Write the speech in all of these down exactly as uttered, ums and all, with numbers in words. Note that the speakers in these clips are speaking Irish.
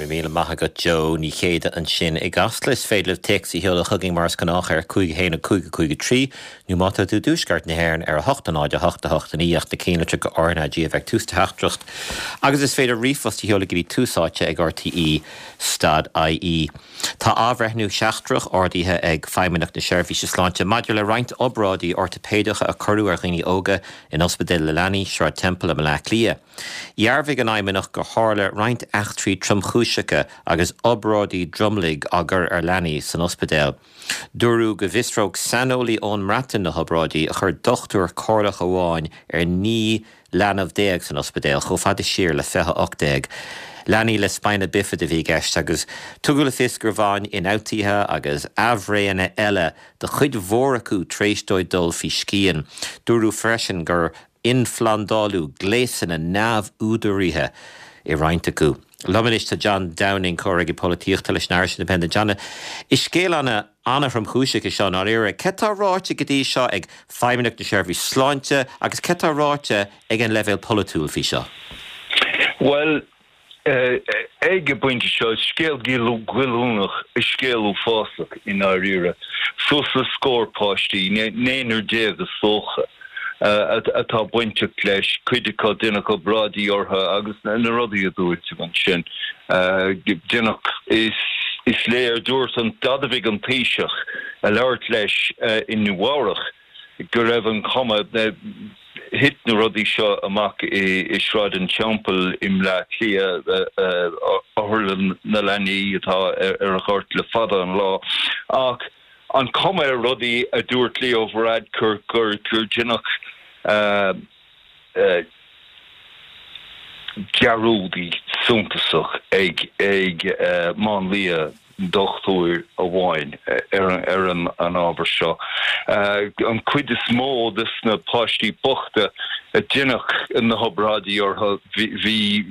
Go raibh míle maith agat Joe Ní Chéide ansin i gCasla is féidir libh téacs a sheoladh chugainn mar is gnách ar cúig haon a cúig a cúig a trí nó má tá tú i dtuaisceart na hÉireann ar a hocht a náid a hocht a hocht a naoi ach na cinnlitreacha R N A G a bheith tús do theachtaireacht. Agus is féidir ríomhphost a sheoladh go dtí Tús Áite ag RTE dot IE. Tá athbhreithniú seachtrach ordaithe ag Feidhmeannacht na Seirbhíse Sláinte maidir le roinnt obráidí ortaipéideacha a cuireadh ar dhaoine óga in Ospidéal na Leanaí, Sráid Temple i mBleá Cliath. Dhearbhaigh an Fheidhmeannacht gur tharla roinnt eachtraí tromchúiseacha agus obráidí dromlaigh á gcur ar leanaí san ospidéal. Dúradh go bhfiosródh saineolaí ón mBreatain na hobráidí a chuir dochtúir comhairleach amháin ar naoi leanbh déag san ospidéal chomh fada siar le fiche ocht déag. Leanaí le spina bifida a bhí i gceist agus tugadh le fios gur bhain ionfhabhtuithe agus aimhréidheanna eile do chuid mhór acu tar éis dóibh dul faoi scian. Dúradh freisin gur ionphlandáladh gléasanna neamhúdaraithe i roinnt acu. Liom anois tá John Downing comhfhreagraí polaitíochta leis an Irish Independent. John, is scéal ana an-thromchúiseach é seo dáiríre. Cad tá ráite go dtí seo ag Feidhmeannacht na Seirbhíse Sláinte agus cad tá ráite ag an leibhéal polaitiúil faoi seo? Well, ag an bpointe seo, scéal goilliúnach is scéal uafásach i ndáiríre. Suas le scór páistí, naonúr déag is dócha, atá bainteach leis, cuid acu déanadh obráidí orthu agus na rudaí a dúirt tú ansin. Déanadh is is léir dúirt an d'admhaigh an Taoiseach a labhairt leis i Nua-Eabhrac go raibh an chuma thit na rudaí seo amach i Sráid an Teampaill i mBleá Cliath, otharlann na leanaí atá ar an ghort le fada an lá. Ach an chuma ar rudaí a dúirt Leo Varadkar gur gur déanadh dearúdaí suntasach ag ag máinlia dochtúir amháin ar ar an an ábhar seo. An chuid is mó de na páistí bochta a déanadh na hobráidí orthu bhí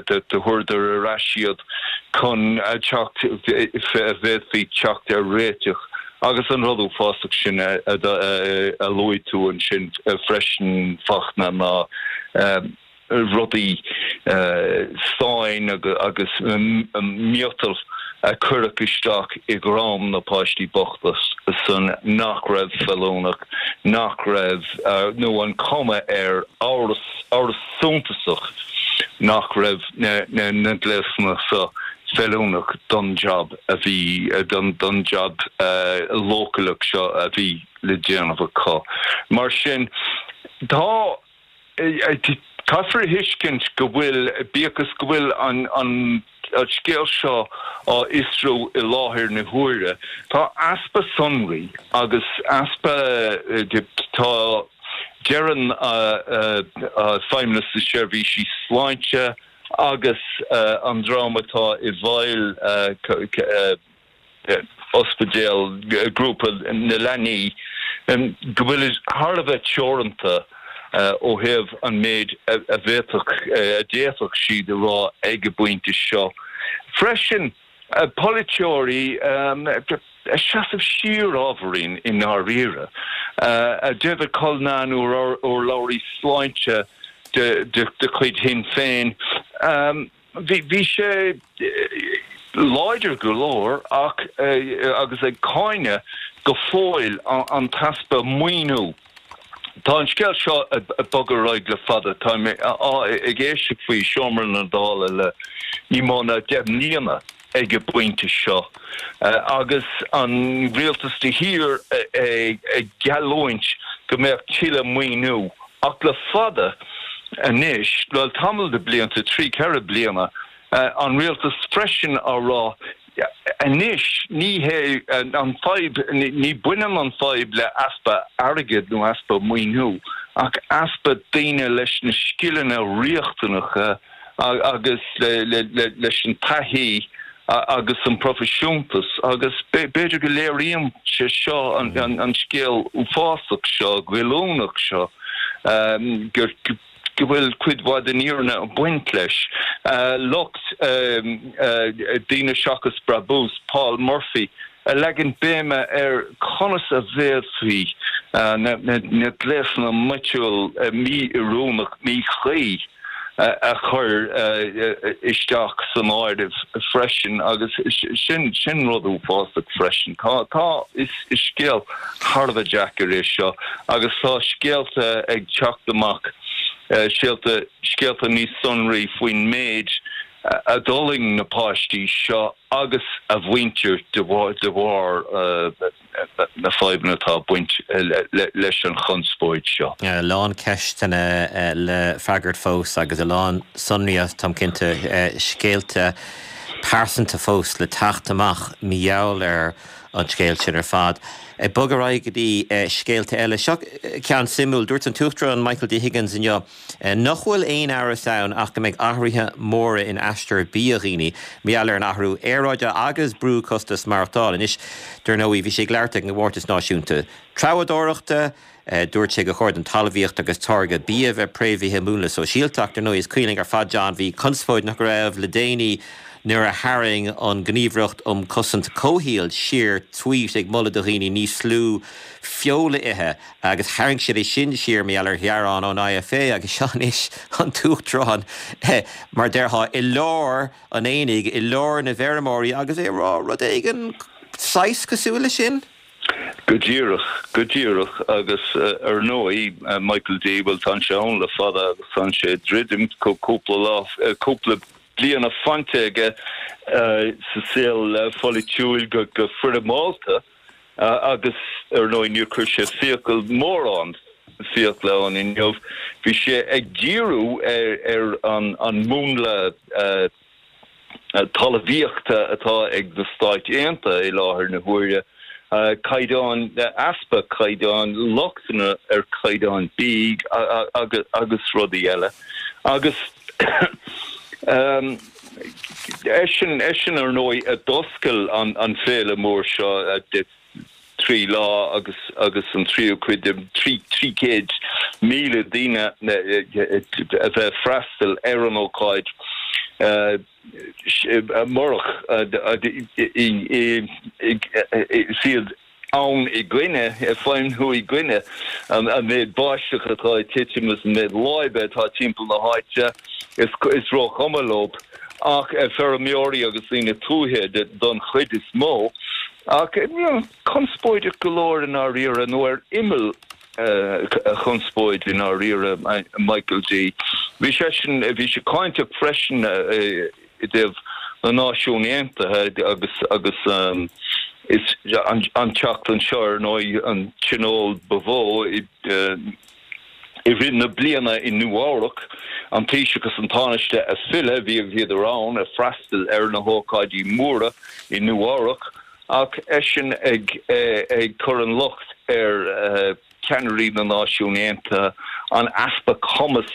do chuireadar ar ais iad chun teacht bhféadfaí teacht ar réiteach agus an rud uafásach sin a a luaigh tú ansin freisin Fachtna ná rudaí stáin agus miotal a cuireadh isteach i dhroim na páistí bochta san nach raibh feiliúnach, nach raibh nó an chuma air amhras amhras suntasach nach raibh na na gléasanna seo feiliúnach don job a bhí don don job leochaileach seo a bhí le déanamh acu. Mar sin tá caithfear a thuiscint go bhfuil bíodh is go bhfuil an an scéal seo á fhiosrú i láthair na huaire, tá easpa sonraí agus easpa tá deireann Feidhmeannas na Seirbhísí Sláinte agus an dream atá i bhfeighil ospidéal grúpa na leanaí go bhfuil thar a bheith teoranta ó thaobh an méid a bhféadfadh a d'fhéadfadh siad a rá ag an bpointe seo. Freisin polaiteoirí ag seasamh siar ábhairín i ndáiríre. David Cullinane urlabhraí sláinte de de chuid Shinn Féin. Bhí bhí sé láidir go leor ach agus ag cáineadh go fóill an t-easpa maoiniú. Tá an scéal seo ag bogadh ar aghaidh le fada, tá mé ag éisteacht faoi seomra na Dála le ní mó ná deich mbliana ag an bpointe seo agus an rialtas de shíor ag geallúint go mbeadh tuilleadh maoiniú ach le fada anois, le tamall de blianta, trí ceithre bliana, an rialtas freisin á rá anois ní hé an fadhb ní bhaineann an fadhb le easpa airgid nó easpa maoiniú ach easpa daoine leis na scileanna riachtanacha agus leis an taithí agus an proifisiúntas agus b'fhéidir go léiríonn sé seo an scéal uafásach seo, goilliúnach seo gur go bhfuil cuid mhaith den fhírinne ag baint leis. Lucht Daoine Seachas Brabús, Paul Murphy, ag leagan béime ar conas a bhféadfaí na gléasanna miotail mí-oiriúnach, míchuí a chur isteach san áireamh freisin agus sin sin rud uafásach freisin. Tá tá is is scéal thar a bheith deacair é seo agus tá scéalta ag teacht amach scéalta scéalta níos sonraí faoin méid a d'fhulaing na páistí seo agus a mhuintir de de bharr na fadhbanna atá ag baint leis an chonspóid seo. A lán ceisteanna le freagairt fós agus a lán sonraí táim cinnte scéalta pearsanta fós le teacht amach mar gheall ar an scéal sin ar fad. Ag bogadh ar aghaidh go dtí scéalta eile. Seo ceann suimiúil, dúirt an tUachtarán Michael D. Higgins inniu nach bhfuil aon amhras ann ach go mbeidh athruithe móra in aistear bia dhaoine mar gheall ar an athrú aeráide agus brú costas maireachtála. Anois, dar ndóigh, bhí sé ag labhairt ag an gcomórtas náisiúnta treabhdóireachta, Dúirt sé gur chóir don talmhaíocht agus táirgeadh bia bheith préamhaithe i múnla sóisialta ach dar ndóigh is cuimhin linn ar fad John bhí conspóid nach raibh le déanaí nuair a tharraing an Ghníomhaireacht um Chosaint Comhshaoil siar tweet ag moladh do dhaoine níos lú feola a ithe agus tharraing siad é sin siar mar gheall ar ghearán ón I F A agus seo anois an tUachtarán mar déarfá i lár an aonaigh i lár na bhfeirmeoirí agus é ag rá rud éigin saghas cosúil leis sin. Go díreach, go díreach agus ar ndóigh Michael D bhuel tá sé ann le fada agus tá sé ag druidim cúpla lá cúpla bliana fanta aige sa saol pholaitiúil go go foirmeálta agus ar ndóigh níor chuir sé fiacail mórán fiacla ann inniu. Bhí sé ag díriú ar ar an an múnla talmhaíochta atá ag na Stáit Aontaithe i láthair na huaire, caighdeán, easpa caighdeán, lochtanna ar chaighdeán bídh agus agus rudaí eile. Agus eisean eisean ar ndóigh a d'oscail an an féile mór seo de trí lá agus agus an tríú cuid de trí trí chéad míle daoine a bheith freastal ar an ócáid murach siad ann i gcoinne, ag feidhmiú i gcoinne an méid báisteach atá ag titim is an méid láibe atá timpeall na háite, is is róchuma leo ach feirmeoirí agus daoine tuaithe don chuid is mó. Ach conspóideach go leor i ndáiríre nó ar imeall chonspóid i ndáiríre Michael D. Bhí seisean bhí sé cáinteach freisin i dtaobh na Náisiún Aontaithe agus agus is an an tseachtain seo ar ndóigh an tionól ba mhó i i rith na bliana i Nua-Eabhrac, an Taoiseach agus an Tánaiste ag filleadh, bhí bhíodar ann ag freastal ar na hócáidí móra i Nua-Eabhrac ach eisean ag ag cur an locht ar cheannairí na Náisiún Aontaithe an easpa cumas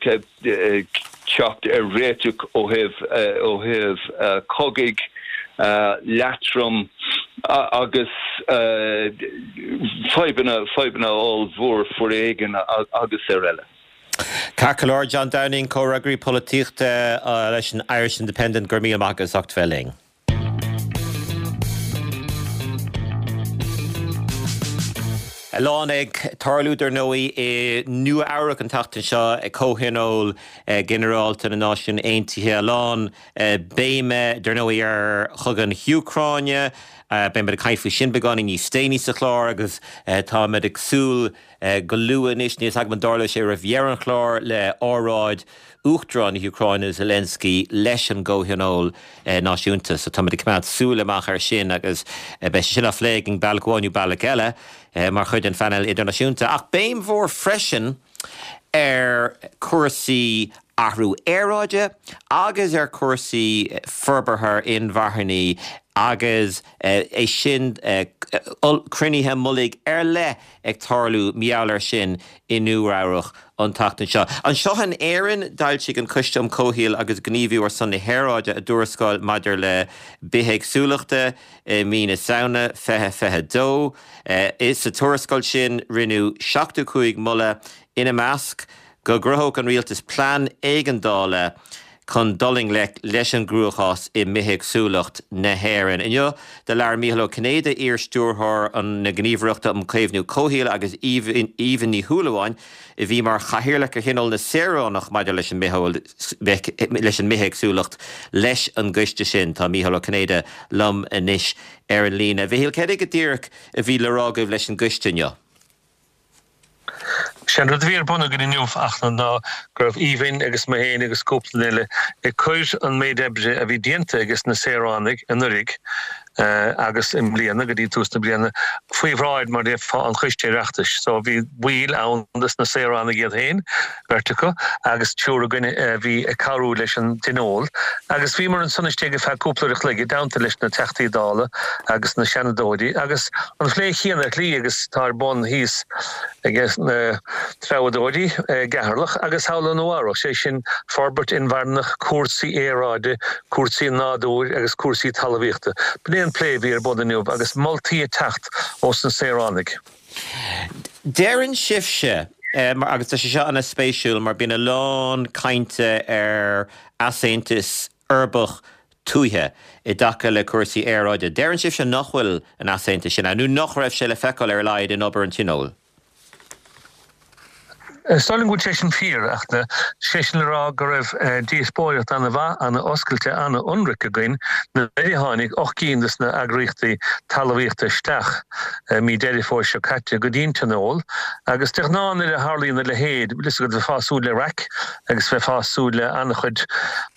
teacht ar réiteach ó thaobh ó thaobh cogaidh leatrom agus fadhbanna fadhbanna ollmhór foréigin agus ar eile. Ceart go leor, John Downing, comhfhreagraí polaitíochta leis an Irish Independent, go raibh míle maith agat as ucht bheith linn. A lán ag tarlú dar ndóigh i Nua Eabhrac an tseachtain seo ag Comhthionól Ginearálta na Náisiún Aontaithe. A lán béime dar ndóigh ar chogadh na hÚcráine. Beimid ag caint faoi sin beagáinín níos déanaí sa chlár agus táimid ag súil go luath anois, níl a fhios agam an dtarlóidh sé roimh dheireadh an chláir, le óráid Uachtarán na hÚcráine Zelensky leis an gComhthionól Náisiúnta. So táimid ag coimeád súil amach air sin agus beidh sé sin á phlé againn bealach amháin nó bealach eile mar chuid den phainéal idirnáisiúnta. Ach béim mhór freisin ar chúrsaí athrú aeráide agus ar chúrsaí forbartha inmharthanaí agus é sin cruinnithe mullaigh ar leith ag tarlú mar gheall air sin i Nua Eabhrac an tseachtain seo. Anseo in Éirinn, d'fhoilsigh an Coiste um Comhshaol agus Gníomhú ar son na hAeráide a dtuarascáil maidir le bithéagsúlachta i mí na Samhna fiche fiche dó. Sa tuarascáil sin, rinneadh seachtó cúig moladh, ina measc, go gcruthódh an rialtas plean éigeandála chun dul i ngleic leis an gcruachás i mbithéagsúlacht na hÉireann. Inniu do labhair Mícheál Ó Cinnéide, iar-stiúrthóir na Gníomhaireachta um Chaomhnú Comhshaoil agus Aoibhinn Ní Shúilleabháin, a bhí mar chathaoirleach ar Thionól na Saoránach maidir leis an leis an mbithéagsúlacht leis an gcoiste sin. Tá Mícheál Ó Cinnéide liom anois ar an líne. A Mhichíl, céard é go díreach a bhí le rá agaibh leis an gcoiste inniu? Sé an rud a bhí ar bun againn inniu ach ná go raibh Aoibhinn agus mé féin agus cúpla duine eile ag cur an méid oibre a bhí déanta ages na saoránaigh anuraidh agus i mbliana go dtí tús na bliana faoi bhráid mar déarfá an Choiste Oireachtais. So bhí baill ann des na saoránaigh iad féin, beirt acu, agus triúr againn a bhí ag cabhrú leis an dtionól. Agus bhíomar ansan istigh ar feadh cúpla uair a chloig i dteannta leis na Teachtaí Dála agus na Seanadóirí agus an phlé chéanna ar shlí agus tá ar bun thíos ag na treabhadóirí i gCeatharlach agus thall i Nua Eabhrac, sé sin forbairt inmharthanach, cúrsaí aeráide, cúrsaí nádúir agus cúrsaí talmhaíochta. B'in é an plé a bhí ar bun inniu agus moltaí ag teacht ós na saoránaigh. Deireann sibhse, agus tá sé seo an-spéisiúil mar bíonn a lán cainte ar easaontas uirbeach tuaithe i dtaca le cúrsaí aeráide, deireann sibhse nach bhfuil an easaontas sin ann, nó nach raibh sé le feiceáil ar a laghad in obair an Tionóil. Is dóigh liom go bhfuil sé sin fíor, ach sé sin le rá go raibh díospóireacht an-mhaith, an-oscailte, an-ionraic againn nuair a tháinig ocht gcinn de na heagraíochtaí talmhaíochta isteach mí Deireadh Fómhair seo caite go dtí an Tionól. Agus de ghnáth nuair a tharlaíonn a leithéid, bhfuil fhios agat, bheifeá ag súil le raic agus bheifeá ag súil le an-chuid,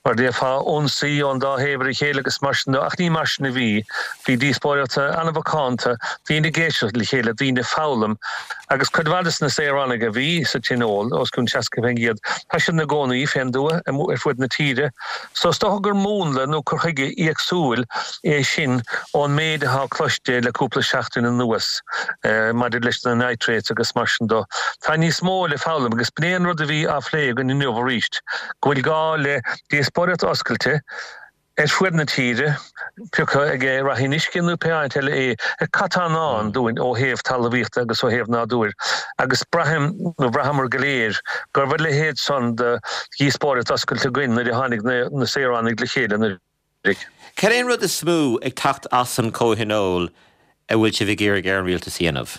mar déarfá, ionsaí ón dá thaobh ar a chéile agus mar sin de, ach ní mar sin a bhí. Bhí díospóireacht an-mhacánta, daoine ag éisteacht le chéile, daoine ag foghlaim. Agus cuid mhaith de na saoránaigh a bhí sa Tionól, os cionn seasca faoin gcéad, tá siad ina gcónaí fén dtuath ar fud na tíre. So is dócha gur múnla nó cur chuige éagsúil é sin ón méid atá cloiste le cúpla seachtain anuas maidir leis na nitrates agus mar sin de. Tá níos mó le foghlaim agus b'in é an rud a bhí á phlé againn inniu arís, go bhfuil gá le díospóireacht oscailte, ar fud na tíre, pé acu ag Rath an Uisce nó pé áit eile é, ar cad tá i ndán dúinn ó thaobh talmhaíochta agus ó thaobh nádúir, agus braithim, nó bhraitheamar go léir, go raibh a leithéid san de dhíospóireacht oscailte againn nuair a tháinig na saoránaigh le chéile anuraidh. Cad é an rud is mó ag teacht as an gcomhthionól a bhfuil sibh ag iarraidh ar an rialtas a dhéanamh?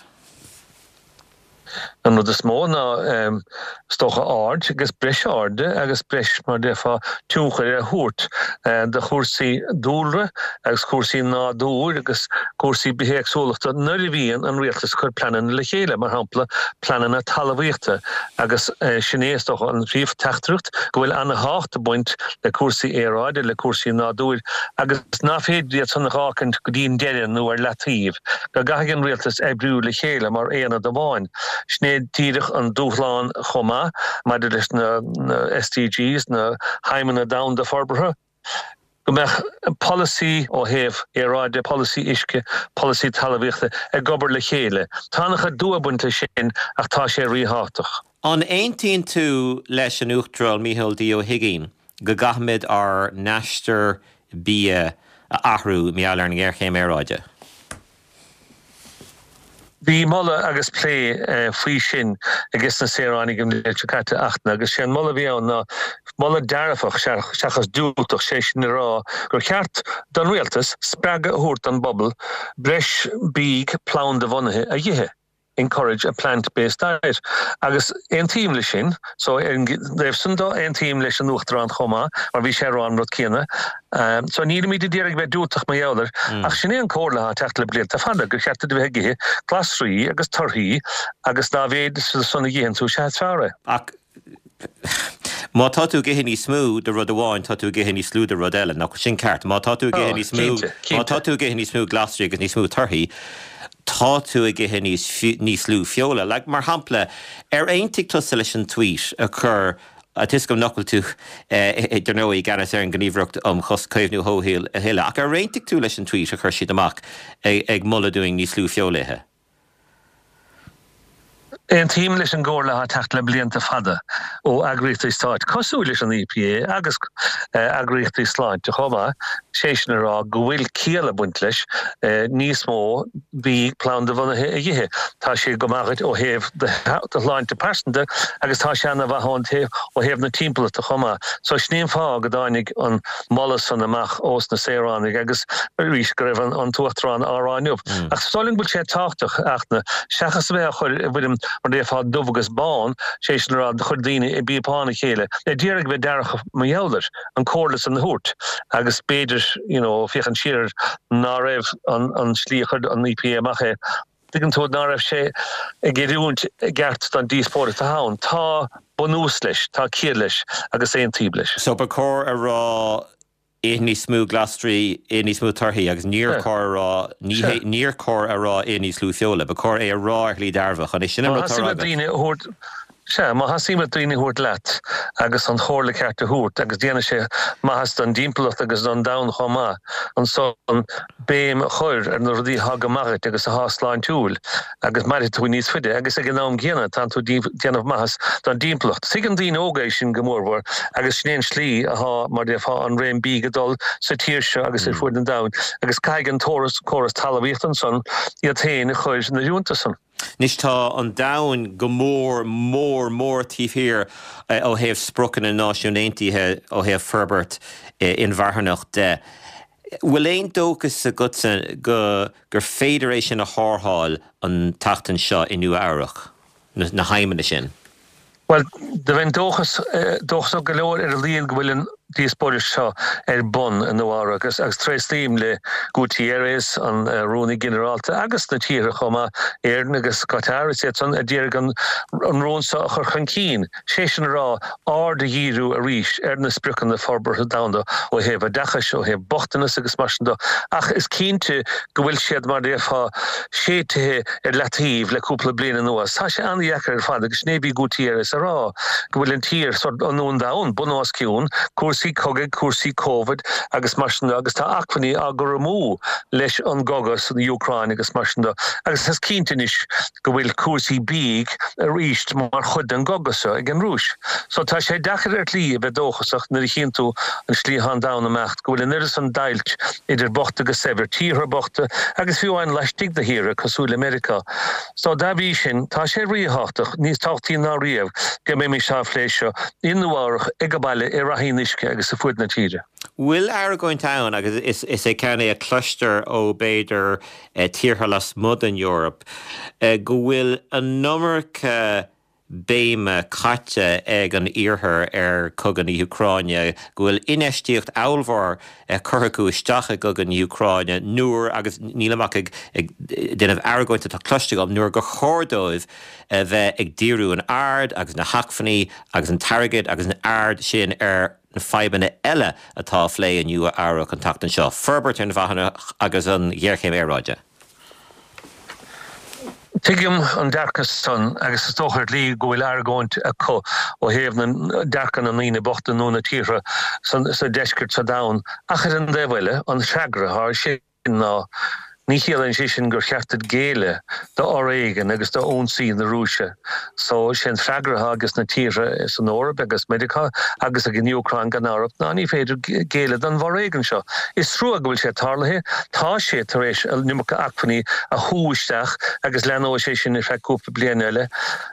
An rud is mó ná, is dócha, aird agus breis airde agus breis, mar a déarfá, tionchair a thabhairt do chúrsaí dúlra agus cúrsaí nádúir agus cúrsaí bithéagsúlachta nuair a bhíonn an rialtas ag cur pleananna le chéile, mar shampla pleananna talmhaíochta agus sin é, is dócha, an phríomh-theachtaireacht, go bhfuil ana-thábhacht ag baint le cúrsaí aeráide, le cúrsaí nádúir agus nach féidir iad san a dh'fhágaint go dtí an deireadh nó ar leataobh, go gcaithfidh an rialtas oibriú le chéile mar aonad amháin. Sin é díreach an dúshlán chomh maith maidir leis na SDGs, na hAidhmeanna Domhanda Forbartha, go mbeadh polasaí ó thaobh aeráide, polasaí uisce, polasaí talmhaíochta ag obair le chéile. Tá an-chuid dua ag baint leis sin ach tá sé ríthábhachtach. An aontaíonn tú leis an Uachtarán Micheál D Ó hUigínn go gcaithfimid ár n-aistear bia a athrú mar gheall ar an ngéarchéim aeráide? Bhí moladh agus plé faoi sin ages na saoránaigh an bhliain seo caite ach agus sé an moladh a bhí ann ná moladh dearfach seachas diúltach, sé sin le rá gur cheart don rialtas spreagadh a thabhairt don bpobal breis bídh planda-bhunaithe a dh'ithe, encourage a plant-based diet. Agus aontaím leis sin, so ar an dtaobh san de aontaím leis an Uachtarán chomh maith mar bhí sé ag rá an rud céanna. So nílimid ag iarraidh bheith diúltach mar gheall air, ach sin é an comhairle atá ag teacht le blianta fada, gur cheart duit a bheith ag ithe glasraí agus torthaí agus dá mhéad san a dh'itheann tú, sea is fearr é. Ach má tá tú ag ithe níos mó de rud amháin, tá tú ag ithe níos lú de rud eile, nach bhfuil sin ceart? Má tá tú ag ithe níos mó, má tá tú ag ithe níos mó glasraí agus níos mó torthaí, tá tú ag ithe níos níos lú feola. Like, mar shampla, ar aontaigh tusa leis an tweet a chuir Tá 'fhios agam nach bhfuil tú, dar ndóigh, i gceannas ar an nGníomhaireacht um Chaomhnú Comhshaoil a thuilleadh, ach ar aontaigh tú leis an tweet a chuir siad amach ag moladh dúinn níos lú feola a ithe? Aontaím leis an gcomhairle atá ag teacht le blianta fada ó eagraíochtaí stáit cosúil leis an EPA agus eagraíochtaí sláinte chomh maith, sé sin a rá go bhfuil ciall ag baint leis níos mó bídh plandabhunaithe a ithe. Tá sé go maith duit ó thaobh do shláinte pearsanta agus tá sé ana-mhaith ón taobh ó thaobh na timpeallachta chomh maith. So sin é an fáth go dtáinig an moladh san amach ós na saoránaigh agus arís go raibh an tUachtarán á rá inniu. Ach is dóigh liom go bhfuil sé tábhachtach ach na seachas a bheith á chur i bhfoirm mar déarfá dubh agus bán, sé sin a rá, do chuir daoine i bpíopán a chéile, d'iarraidh bheith dearfach mar gheall air, an comhairle san a thabhairt agus b'fhéidir, you know, féachaint siar ná raibh an an slí a chuir an EPA amach é, tuigeann tú, ná raibh sé ag oiriúint i gceart don díospóireacht atá ann. Tá bunús leis, tá ciall leis agus aontaím leis. So ba chóir a rá ith níos mó glasraí, ith níos mó torthaí agus níor chóir a rá, níor chóir a rá ith níos lú feola. Ba chóir é a rá ar shlí dearfach. An é sin an rud atá á rá agat? Sea, má thosaíonn muid daoine a thabhairt leat agus an chomhairle ceart a thabhairt agus déanfaidh sé maitheas don dtimpeallacht agus don domhan chomh maith, ansan béim a chur ar na rudaí atá go maith dhuit agus atá sláintiúil agus mairfidh tú níos faide agus ag an am gcéanna tánn tú déanamh maitheas don dtimpeallacht. Tuigeann daoine óga é sin go mórmhór agus sin é an slí atá, mar déarfá, an réim bídh ag dul sa tír seo agus ar fuaid an domhain agus caithfidh an córas talmhaíochta ansan iad féin a chur in oiriúint dó san. Anois tá an domhan go mór, mór, mór taobh thiar ó thaobh spriocanna na Náisiún Aontaithe ó thaobh forbairt inmharthanach de. Bhfuil aon dóchas agatsa go gur féidir é sin a tharrtháil an tseachtain seo i Nua Eabhrac, na haidhmeanna sin? Bhuel, do bheinn dóchasach go leor ar a laghad go bhfuil an díospóireacht seo ar bun i Nua Eabhrac agus agus tréaslaím le Guterres, an Rúnaí Ginearálta, agus na tíortha chomh maith, Éirinn agus Qatar, is iad san a d'iarraidh an rún seo a chur chun cinn, sé sin a rá, aird a dhíriú arís ar na spriocanna forbartha domhanda ó thaobh oideachais, ó thaobh bochtanas agus mar sin de. Ach is cinnte go bhfuil siad, mar a déarfá, séidtithe ar leataobh le cúpla bliain anuas. Tá sé an-dheacair ar fad agus sin é a bhí Guterres a rá, go bhfuil an tír, sórt, an domhan, bun os cionn, cúrsaí cogaidh, cúrsaí Covid agus mar sin de agus tá acmhainní á gcur amú leis an gcogadh san Úcráin agus mar sin de. Agus is cinnte anois go bhfuil cúrsaí bídh arís mar chuid den gcogadh seo ag an Rúis. So tá sé deacair ar shlí a bheith dóchasach nuair a chíonn tú an slí atá an domhan ag imeacht, go bhfuil an oiread san deighilt idir bocht agus saibhir, tíortha bochta agus fiú amháin laistigh de thíortha cosúil le Meiriceá. So dá bhrí sin, tá sé ríthábhachtach, níos tábhachtaí ná riamh, go mbeimis á phlé seo i Nua Eabhrac, ag baile, i Ráth Fhionnuisce agus ar fuaid na tíre. Bhfuil argóint ann, agus is é ceann é a chloistear ó b'fhéidir tíortha lasmuigh den Eoraip, go bhfuil an iomarca béime caite ag an Iarthar ar chogadh na hÚcráine, go bhfuil infheistíocht ollmhór curtha acu isteach i gcogadh na hÚcráine nuair, agus nílim ach ag déanamh argóint atá cloiste agam, nuair gur chóir dóibh a bheith ag díriú an aird agus na hacmhainní agus an t-airgead agus an aird sin ar na fadhbanna eile atá á phlé i Nua Eabhrac an tseachtain seo, forbairt inmharthanach agus an ghéarchéim aeráide. Tuigim an dearcadh san agus is dócha ar shlí go bhfuil argóint acu ó thaobh na dearcadh na ndaoine bochta nó na tíortha sa deisceart sa domhan ach ar an dtaobh eile an freagra atá air sin ná ní chiallaíonn sé sin gur cheart duit géilleadh do fhoréigean agus do ionsaí na Rúise. So sé an freagra atá ages na tíortha san Eoraip agus Meiriceá agus ag an Úcráin gan amhras ná ní féidir géilleadh don bhforéigean seo. Is trua go bhfuil sé tarlaithe. Tá sé tar éis an iomarca acmhainní a shú isteach agus leanóidh sé sin ar feadh cúpla bliain eile.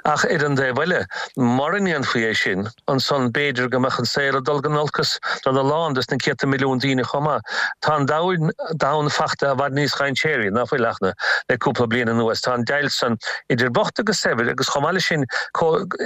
Ach ar an dtaobh eile, mura ndéanfaí é sin, ansan b'fhéidir go mbeadh an saol ag dul go n-olcas don a lán des na céadta milliún daoine chomh maith. Tá an domhan fachta i bhfad níos dhainséaraí ná fuil ach le cúpla bliain anuas. Tá an deighilt san idir bocht agus saibhir agus chomh maith leis sin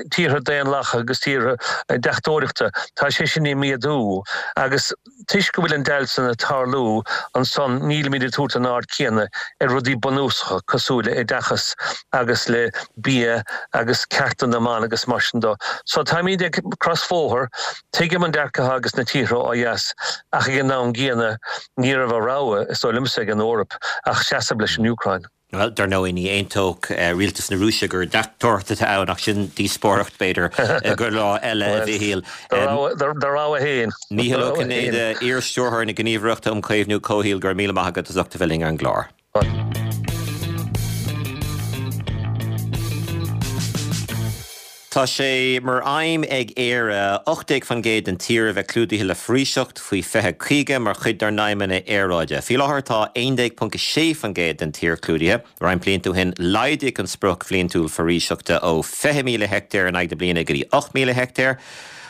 tíortha daonlathacha agus tíortha deachtóireachta, tá sé sin ag méadú agus toisc go bhfuil an deighilt san ag tarlú ansan nílimid ag tabhairt an aird céanna ar rudaí bunúsacha cosúil le oideachas agus le bia agus cearta na mban agus mar sin de. So táimid ag crosbhóthar, tuigim an dearcadh atá ages na tíortha ó dheas ach ag an am gcéanna ní raibh a rogha, is dóigh liomsa, ag an Eoraip ach seasamh leis an Úcráin. Bhuel, dar ndóigh, ní aontódh rialtas na Rúise gur deachtóireacht atá ann, ach sin díospóireacht, b'fhéidir, do lá eile, a Mhichíl. Do rogha féin. Mícheál Ó Cinnéide, iar-stiúrthóir na Gníomhaireachta um Chaomhnú Comhshaoil, go raibh míle maith agat as ucht a bheith linn ar an gclár. Tá sé mar aidhm ag Éire ocht déag faoin gcéad den tír a bheith clúdaithe le foraoiseacht faoi fiche caoga mar chuid dár n-aidhmeanna aeráide. Faoi láthair tá aon déag ponc a sé faoin gcéad den tír clúdaithe. Roinnt blianta ó shin laghdaíodh an sprioc bhliantúil foraoiseachta ó fiche míle heicteár in aghaidh na bliana go dtí ocht míle heicteár.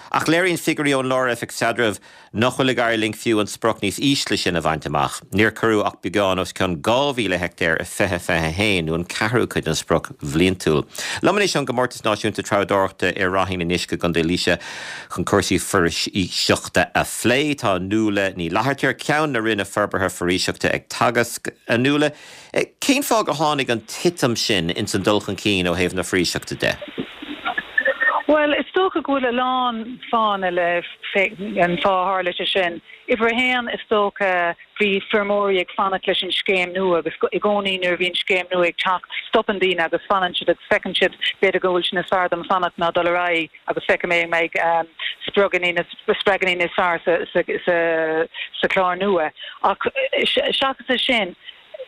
Ach léiríonn figiúirí ón Lár-Oifig Staidrimh nach bhfuil ag éirí linn fiú an sprioc níos ísle sin a bhaint amach. Níor cuireadh ach beagán os cionn dhá mhíle heicteár i fiche fiche a haon, nó an ceathrú cuid den sprioc bhliantúil. Liom anois ón gComórtas Náisiúnta Treabhdóireachta i Ráithín an Uisce i gContae Laoise chun cúrsaí foraoiseachta a phlé, tá Nuala Ní Fhlatharta, Ceann na Roinne Forbartha Foraoiseachta ag Teagasc. A Nuala, cén fáth gur tháinig an titim sin ins an dul chun cinn ó thaobh na foraoiseachta de? Bhuel, is dócha go bhfuil a lán fáthanna le an fáth a tharla sé sin. Uimhir a haon, is dócha, bhí feirmeoirí ag fanacht leis an scéim nua agus i gcónaí nuair a bhíonn scéim nua ag teacht, stopann daoine agus fanann siad agus feiceann siad b'fhéidir go bhfuil sé níos fearr dom fanacht ná dul ar aghaidh agus feicfidh mé an mbeidh spriocanna spreaganna níos fearr sa sa sa sa chlár nua. Ach seachas é sin,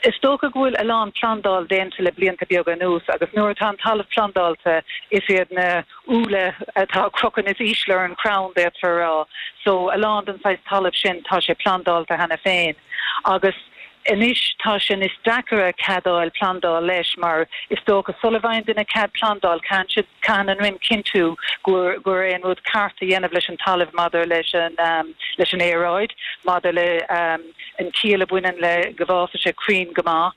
Is dócha go bhfuil a lán plandáil déanta le blianta beaga anuas agus nuair atá an talamh plandáilte is iad na úlla atá ag crochadh níos ísle ar an chrann, d'fhéadfá a rá. So a lán den saghas talaimh sin tá sé plandáilte cheana féin agus anois tá sé níos deacaire cead a fháil plandáil leis mar is dócha sula bhfaigheann duine cead plandáil caitheann siad, caitheann an Roinn cinntiú gur gur é an rud ceart a dhéanamh leis an talamh maidir leis an leis an aeráid, maidir le an chiall a bhaineann le go bhfásfaidh sé crainn go maith,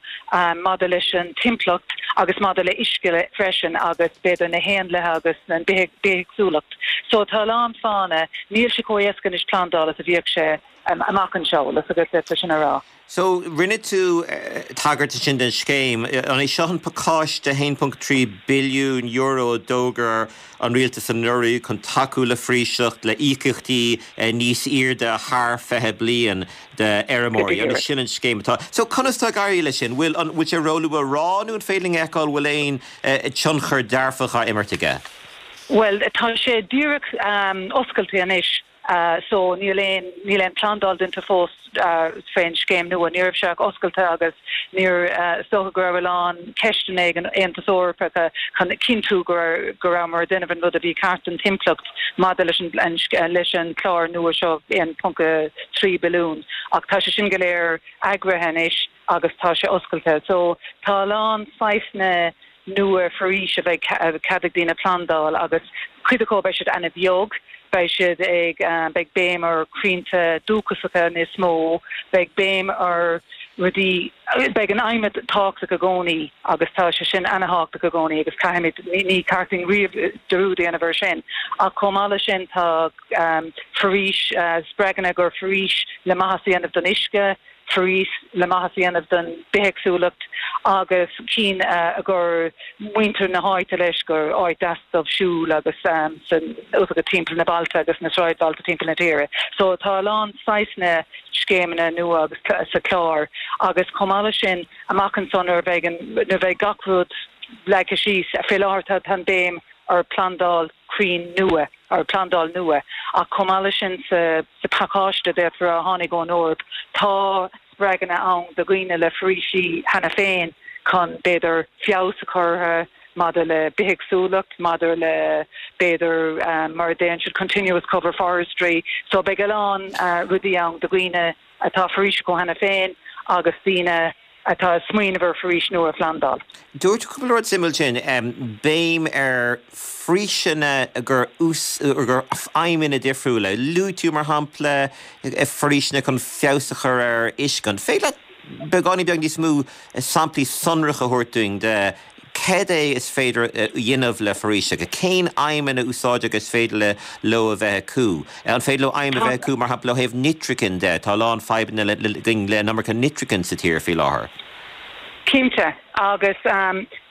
maidir leis an timpeallacht agus maidir le uisce freisin agus b'fhéidir na héanlaithe agus an bithéagsúlacht. So tá a lán fáthanna, níl sé chomh éasca anois plandáil is a bhíodh sé amach anseo, bhfuil a fhios agat, le sin a rá. So, rinne tú tagairt ansin den scéim. An é seo an pacáiste haon ponc trí billiún euro a d'fhógair an rialtas anuraidh chun tacú le foraoiseacht, le íocaíochtaí níos airde thar fiche bliain d'fheirmeoirí? An é sin an scéim atá? So, conas tá ag éirí leis sin? Bhfuil, an bhfuil sé róluath a rá nó an féidir linn a fheiceáil bhfuil aon tionchar dearfach á imirt aige? Bhuel, tá sé díreach oscailte anois. So níl aon, níl aon plandáil déanta fós fén scéim nua. Ní raibh sé ach oscailte agus níor, is dócha go raibh a lán ceisteanna ag an Aontas Eorpach chun cinntiú go raibh, go rabhamar ag déanamh an rud a bhí ceart don timpeallacht maidir leis an, leis an chlár nua seo aon ponc a trí billiún. Ach tá sé sin go léir eagraithe anois agus tá sé oscailte. So tá a lán saghsanna nua foraois a bheidh cead ag daoine plandáil agus cuid acu beidh siad ana-bheag, beidh siad ag, beidh béim ar chrainnte dúchasacha níos mó, beidh béim ar rudaí, beidh an adhmad tábhachtach i gcónaí agus tá sé sin ana-thábhachtach i gcónaí agus caithfimid, ní ceart dúinn riamh dearúd a dhéanamh ar sin. Ach chomh maith leis sin tá foraois, spreaganna gur foraois le maitheas a dhéanamh don uisce, foraois le maitheas a dhéanamh don bithéagsúlacht agus cinn a gcuir muintir na háite leis gur áit deas dóibh siúl agus san go timpeall na bailte agus na sráidbhailte timpeall na tíre. So tá a lán saghsanna scéimeanna nua agus sa chlár agus chomh maith leis sin amach anso nuair a bheidh an nuair a bheidh gach rud leagtha síos, fé láthair tá tá an béim ar phlandáil crainn nua, ar phlandáil nua, ach chomh maith leis sin sa sa phacáiste d'fhéadfá a rá a tháinig ón Eoraip, tá spreaganna ann do dhaoine le foraoisí cheana féin chun, b'fhéidir, feabhas a chur orthu maidir le bithéagsúlacht, maidir le, b'fhéidir, mar a deireann siad, continuous cover forestry. So beidh a lán rudaí ann do dhaoine atá foraois acu cheana féin agus daoine atá ag smaoineamh ar foraois nua a phlandáil. Dúirt tú cúpla rud suimiúil ansin, béim ar foraoiseanna gur gur aidhmeanna difriúla. Luaigh tú, mar shampla, foraoiseanna chun feabhas a chur ar uisce. An féidir leat beagáinín beag níos mó samplaí sonracha a thabhairt dúinn de cad é is féidir a dhéanamh le foraoiseacha? Cén aidhmeanna úsáideacha is féidir le leo a bheith acu? An féidir leo aidhm a bheith acu, mar shampla, ó thaobh nitrigin de? Tá a lán fadhbanna againn le an iomarca nitrigin sa tír faoi láthair. Cinnte, agus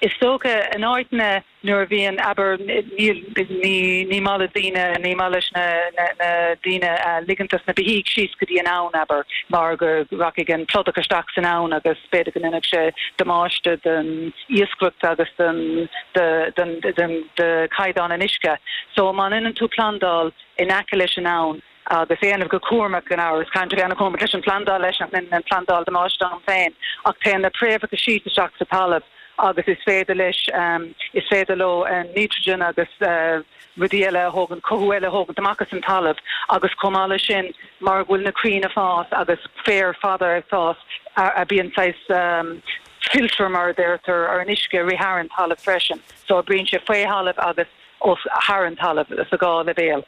is dócha in áiteanna nuair a bhíonn, abair, níl, ní, ní maith le daoine, ní maith leis na, na, na daoine ligint dos na beithígh síos go dtí an abhainn, abair, mar go rachaidh an pludach isteach san abhainn agus b'fhéidir go ndéanfadh sé damáiste don iascaireacht agus don, do, don, don, do chaighdeán an uisce. So má dhéanann tú plandáil in aice leis an abhainn, agus é a dhéanamh go cúramach gan amhras, caithfidh tú bheith ana-chúramach leis an phlandáil leis nach ndéanann an phlandáil damáiste ann féin, ach téann na préamhacha síos isteach sa talamh agus is féidir leis um, is féidir leo an nitrogen agus uh, rudaí eile a thógaint cothú eile a thógaint amach as an talamh agus chomh maith leis sin mar go bhfuil na crainn ag fás agus féar fada ag fás a bíonn saghas um, filter mar a deirtear ar an uisce rith thar an talamh freisin so oibríonn sé faoi thalamh agus os thar an talamh sa dhá leibhéal.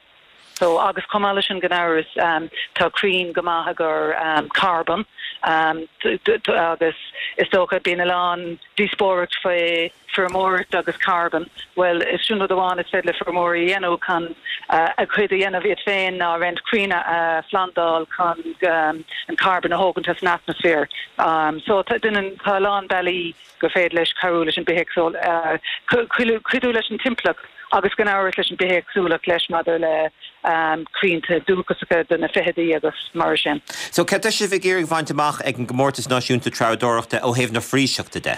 So agus chomh maith leis sin gan amhras um, tá crainn go maith i gcomhair um, carbon um, agus is dócha bíonn a lán díospóireacht faoi feirmeoireacht agus carbon. Well is sin rud amháin is féidir le feirmeoirí a dhéanamh chun uh, a chuid a dhéanamh iad féin ná roinnt crainn a uh, phlandáil chun um, an carbon a thógaint as an atmaisféar. Um, so tá tá a lán bealaí gur féidir leis cabhrú leis an bithéagsúil uh, cuidiú leis an timpeallacht agus gan amhras leis an bithéagsúlacht leis maidir le um, crainnte dúchasacha do na feithidí agus mar sin. So cad tá sibh ag iarraidh a bhaint amach ag an gcomórtas náisiúnta treabhdóireachta ó thaobh na foraoiseachta de?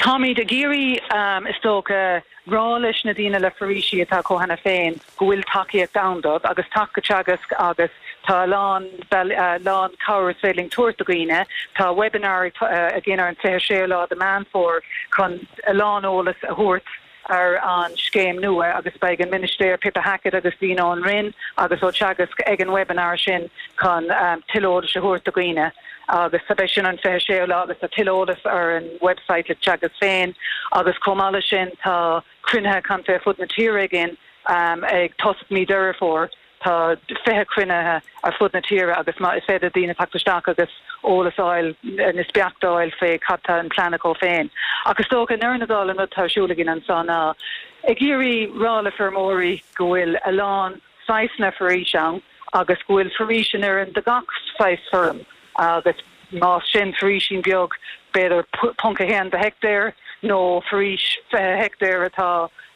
Táimid ag iarraidh um, is dócha rá leis na daoine le foraoisí atá acu cheana féin go bhfuil tacaíocht ann dóibh agus teacht go Teagasc agus tá a lán uh, lán cabhair is féidir linn tabhairt do dhaoine tá webinar uh, againn ar an fiche séú lá de Meán Fómhair chun a lán eolas a thabhairt ar an scéim nua agus beidh an Minister Pippa Hackett agus daoine ón Roinn agus ó Teagasc ag an webinar sin chun um, tuilleadh eolais a thabhairt do dhaoine agus tá sin an fiche séú lá agus tá tuilleadh eolais ar an website le Teagasc féin agus chomh maith leis sin tá cruinnithe contae fud na tíre againn um, ag tosach mí Deireadh Fómhair tá fiche cruinnithe ar fud na tíre agus má is féidir daoine teacht isteach agus eolas a fháil níos beaichte a fháil fé cad tá an plean acu féin. Agus dócha i ndeireadh na dála an rud atá ar siúl againn anseo ná ag iarraidh rá le feirmeoirí go bhfuil a lán saghsanna foraois ann agus go bhfuil foraois in oiriúint do gach saghas feirm agus más sin foraoisín beag b'fhéidir ponc a haon de heicteár nó foraois fiche heicteár atá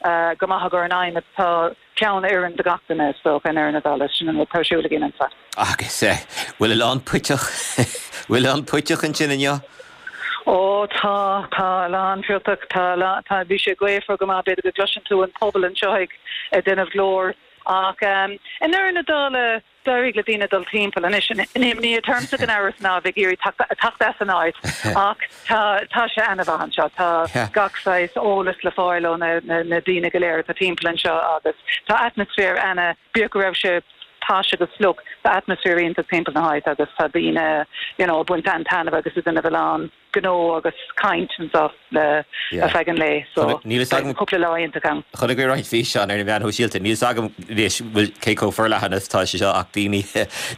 uh, go maith gur an aim atá ceann oireann do gach duine so i ndeireadh na dála sin an tá siúla gin ansa. Agus eh, bhfuil a lán puiteach bhfuil a lán puiteach ansin inniu? Ó tá tá a lán puiteach tá tá bhí sé gaofar go maith b'fhéidir go gcloiseann tú an pobal anseo ag déanamh glór ach um, i ndeireadh na dála d'éirigh le daoine dul timpeall anois an imní atá ormsa gan amhras ná bheith ag iarraidh teacht as an áit ach tá tá sé an-mhaith anseo tá gach saghas eolas le fáil ó na, na, na daoine go léir tá timpeall anseo agus tá atmaisféar ana bíodh go raibh sé tais agus fliuch tá atmaisféar iontach timpeall na háite agus tá daoine you know, baint an-taitneamh agus is ina bhfuil gnó agus caint anseo le ar feadh an lae so cúpla lá iontach ann. Chonaic mé roinnt físeán ar na meáin shóisialta níl a fhios agam bhfuil cé chomh forleathan is tá sé seo ach daoine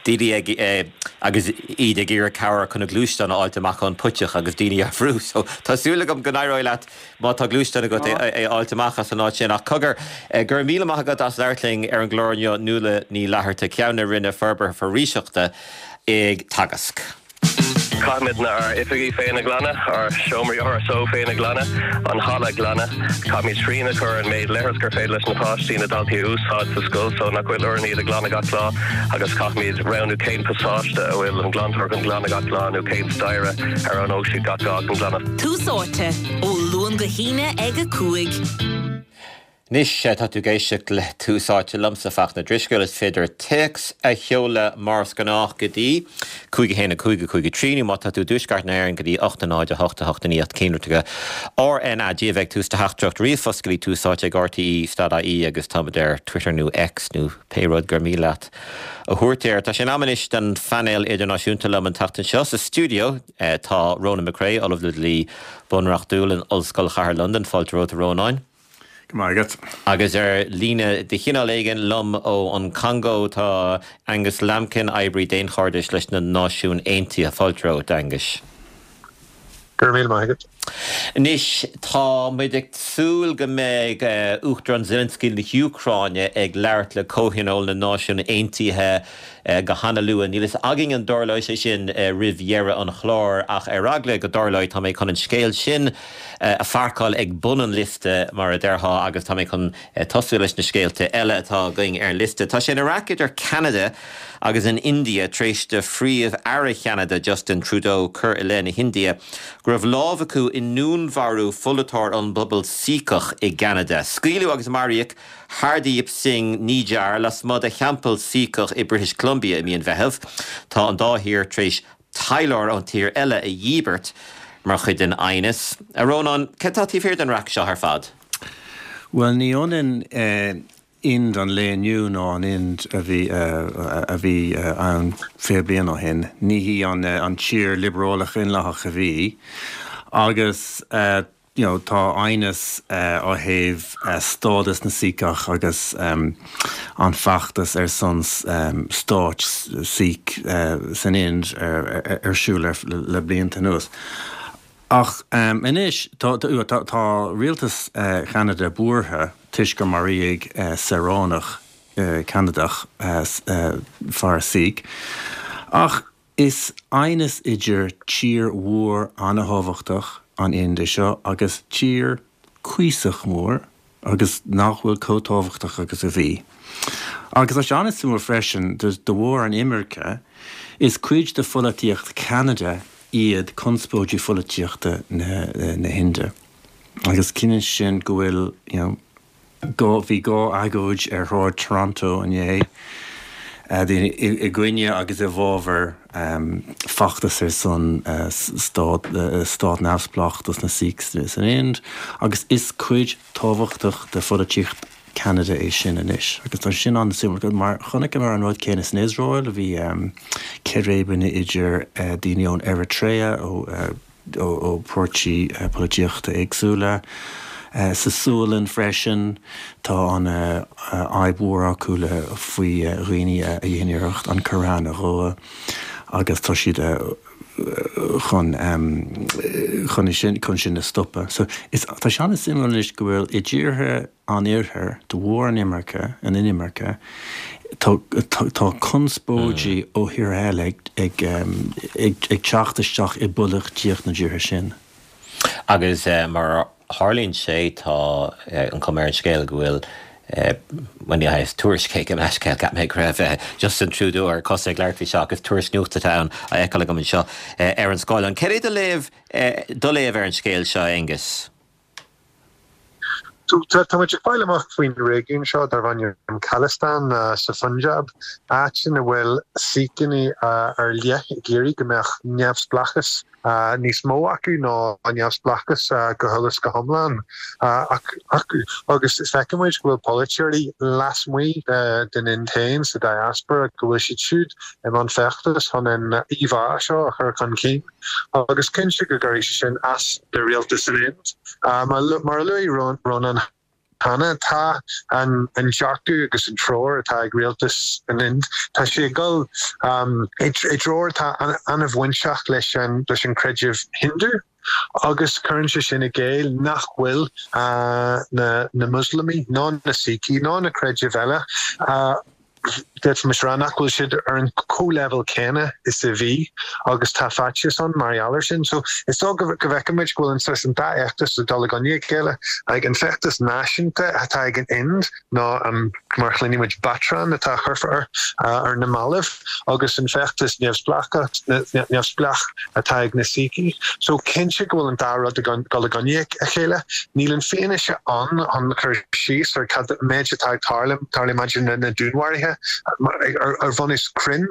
daoine ag eh, agus iad ag iarraidh cabhair chun a gluaisteán a fháilt amach ón puiteach agus daoine á bhrú so tá súil agam go n-éireoidh leat má tá gluaisteán agat é a fháilt amach as an áit sin ach cogar eh, go raibh míle maith agat as labhairt linn ar an gclár inniu Nuala Ní Fhlatharta Ceann na Roinne Forbartha Foraoiseachta ag Teagasc. Caithfimid ár n-oifigí féin a ghlanadh, ár seomraí R S O féin a ghlanadh, an halla a ghlanadh, Caithfimid srian a chur an méid leithreas gur féidir leis na páistí na daltaí a úsáid sa scoil so nach bhfuil orainn iad a ghlanadh gach lá agus caithfimid roghnú cén pasáiste a bhfuil an glantóir chun glanadh gach lá nó cén staighre ar an siad gach lá chun glanadh. Tús Áite ó Luan go hAoine ag a cúig. Anois tá tú ag éisteacht le Tús Áite liomsa Fachtna Drisceoil is féidir téacs a sheoladh mar is gnách go dtí cúig a haon a cúig a cúig a trí nó má tá tú i dtuaisceart na hÉireann go dtí ocht a náid a hocht a hocht a naoi ocht cinnlitreacha R N A G a bheidh tús do theachtaireacht ríomhphost go dtí Tús Áite ag R T E stad I E agus táimid ar Twitter nó X nó pé rud gur mian leat a thabhairt air. Tá sé in am anois don phainéal idirnáisiúnta liom an tseachtain seo sa stiúideo tá Ronan McCrea Ollamh le Dlí Bunreachtúil in Ollscoil Chathair Londan fáilte romhat a Rónáin. Margaret. Agus ar líne de chineál éigin liom ó an Congó tá Angus Lambkin oibrí daonchairdis leis na Náisiúin Aontaithe fáilte romhat Angus. Gur mí Margaret. Anois tá muid ag súil go mbeidh uh, Uachtarán Zelensky na hÚcráine ag labhairt le Comhthionól na Náisiún Aontaithe uh, go han-luath. Níl a fhios againn an dtarlóidh sé sin uh, roimh dheireadh an chláir ach ar eagla go dtarlóidh tá mé chun an scéal sin uh, a pháirceáil ag bun an liosta mar a déarfá agus tá mé chun uh, tosú leis na scéalta eile atá againn ar an liosta. Tá sé ina raic idir Canada agus an India tar éis do Phríomh-Aire Cheanada Justin Trudeau cur i leith na hIndia, go raibh lámh acu i ndúnmharú pholaiteoir an bpobal Síceach i gCanada. Scaoileadh agus maraíodh Hardeep Singh Nijjar lasmuigh de theampall Síceach i British Columbia i mí an Mheithimh. Tá an dá thír tar éis taidhleoir ón tír eile a dhíbirt. mar chuid den aighneas. A Rónáin, cad tá taobh thiar den raic seo ar fad? Bhuel, ní ionann eh, Ind an lae inniu ná an Ind a bhí a bhí ann fiche bliain ó shin. Ní hí an an tír liobrálach daonlathach a bhí agus you know, tá aighneas ó thaobh stádas na Síceach agus um, an feachtas ar son um, stáit Sikh uh, san Ind ar, ar, ar siúl ar, le, le blianta anuas. Ach um, anois tá, tá, tá, tá rialtas uh, Cheanada buartha toisc gur maraíodh uh, saoránach uh, Ceanadach uh, uh, fear Sikh. Ach is aighneas idir tír mhór an-tábhachtach an Ind seo agus tír cuíosach mór agus nach bhfuil chomh tábhachtach agus a bhí. Agus tá an-suimiúil freisin de bharr an imirce is cuid de pholaitíocht Cheanada iad conspóidí pholaitíochta na, na hInde. Agus cinneann sin go bhfuil you know, go bhí dhá agóid ar shráid Toronto inné daoine i gcoinne agus i bhfabhar um, feachtas ar son uh, stát, uh, stát neamhspleách dos na Sikhs san Ind, agus is cuid tábhachtach de pholaitíocht Canada é sin anois. Agus tá sin an-suimiúil mar chonaiceamar an rud céanna san Iosrael a bhí um, círéibeanna idir uh, daoine ón Eritrea ó, uh, ó, ó pháirtí uh, polaitíochta éagsúla. Uh, sa Sualainn freisin tá an fhadhb mhór acu le faoi dhaoine a dhéanann iarracht an Corán a dhó agus tá siad chun chun sin chun sin a stopadh. So is tá sé an-suimiúil anois go bhfuil i dtíortha an iarthair de bharr an imirce an inimirce tá conspóidí mm. ó thír eile ag ag, ag, ag teacht isteach i bpolaitíocht na dtíortha sin. Agus uh, mar tharlaíonn sé tá uh, an chuma ar an scéal go bhfuil When uh, tuairisc go meiscéil gap mé raibh Justin Trudeau ar cos ag labhairt faoi seo agus tuairisc nuachta ann a fheiceáil agam anseo ar an scáileán. Céard é do léamh do léamh ar an scéal seo Aengus? Tá muid ag fáil amach faoin réigiún seo darb ainm Khalistan sa Punjab, áit ina bhfuil Sikhanna ar leith ag iarraidh go mbeadh neamhspleáchas níos mó acu ná an neamhspleáchas go huile is go hiomlán acu. Agus feiceann muid go bhfuil polaiteoirí lasmuigh den Ind féin sa diaspora go bhfuil siad siúd i mbun feachtas chun an íomhá seo a chur chun cinn. Agus cinnte go gcuirfidh sé sin as do rialtas an Ind. Mar a luaigh Rónán cheana tá an an dearcadh agus an treoir atá ag rialtas an Ind. Tá sé ag dul um, i dtreo atá an-bhainteach leis an leis an creideamh Hindu. Agus cuireann sé sin i gcéill nach bhfuil uh, na, na Muslamaigh ná na Sikhi ná na creidimh eile uh, D'fhéadfaimis rá nach bhfuil siad ar an comhleibhéal céanna is a bhí agus tá faitíos ann mar gheall air sin. So is dóigh go bhfeicimid go bhfuil an saghas an dá fheachtas ag dul i gcoinne a chéile ag an feachtas náisiúnta atá ag an Ind ná um, mar chluinimid batran atá curtha ar uh, ar na mallaibh agus an feachtas neamhspleách atá ag na Sikhi. So cinnte go bhfuil an dá rud ag dul i gcoinne a chéile, níl an fianaise ann chun cur síos ar cad méid atá ag tarlú tarlú maidir na na dúnmharuithe ar bhunús cruinn